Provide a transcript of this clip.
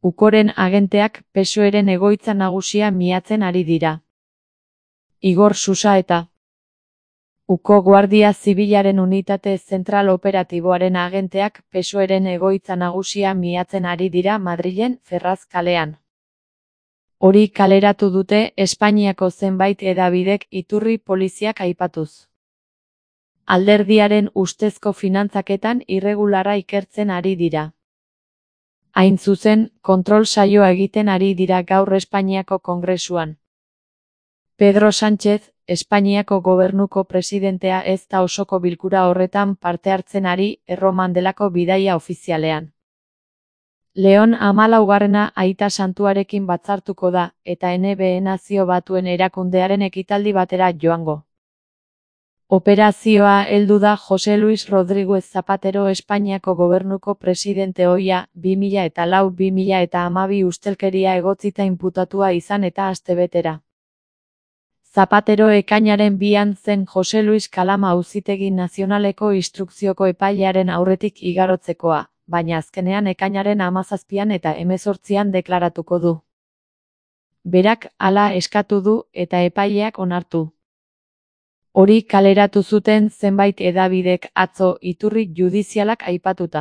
Ukoren agenteak PSOEren egoitza nagusia miatzen ari dira. Igor Susaeta. Uko Guardia Zibilaren unitate zentral operatiboaren agenteak PSOEren egoitza nagusia miatzen ari dira Madrilen Ferraz kalean. Hori kaleratu dute Espainiako zenbait hedabidek iturri poliziak aipatuz. Alderdiaren ustezko finantzaketan irregularra ikertzen ari dira. Hain zuzen, kontrol saioa egiten ari dira gaur Espainiako Kongresuan. Pedro Sánchez, Espainiako gobernuko presidentea ez da osoko bilkura horretan parte hartzen ari Erroman delako bidaia ofizialean. Leon 14. Aita Santuarekin batzartuko da, eta NBA Nazio Batuen erakundearen ekitaldi batera joango. Operazioa heldu da José Luis Rodríguez Zapatero Espainiako gobernuko presidente ohia 2004-2012 ustelkeria egotzita inputatua izan eta astebetera. Zapatero ekainaren 2an zen José Luis Kalama Auzitegi Nazionaleko instrukzioko epailearen aurretik igarotzekoa, baina azkenean ekainaren 17an eta 18an deklaratuko du. Berak hala eskatu du eta epaileak onartu. Hori kaleratu zuten zenbait hedabidek atzo iturri judizialak aipatuta.